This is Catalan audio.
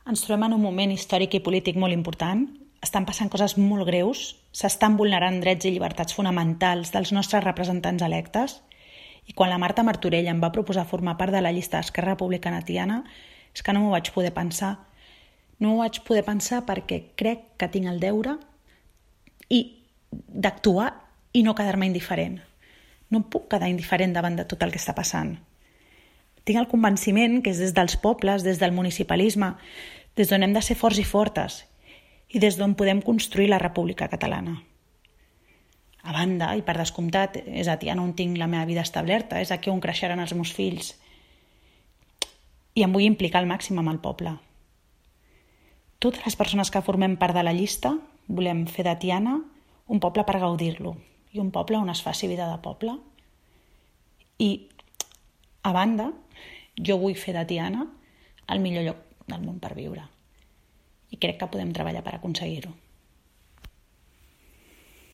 Ens trobem en un moment històric i polític molt important. Estan passant coses molt greus, s'estan vulnerant drets i llibertats fonamentals dels nostres representants electes, i quan la Marta Martorell em va proposar formar part de la llista d'Esquerra Republicana Tiana, és que no m'ho vaig poder pensar. No m'ho vaig poder pensar perquè crec que tinc el deure d'actuar i no quedar-me indiferent. No puc quedar indiferent davant de tot el que està passant. Tinc el convenciment que és des dels pobles, des del municipalisme, des d'on hem de ser forts i fortes i des d'on podem construir la República Catalana. A banda, i per descomptat, és a Tiana on tinc la meva vida establerta, és aquí on creixeran els meus fills. I em vull implicar al màxim amb el poble. Totes les persones que formem part de la llista volem fer de Tiana un poble per gaudir-lo i un poble on es faci vida de poble. I, a banda, jo vull fer de Tiana el millor lloc del món per viure. I crec que podem treballar per aconseguir-ho.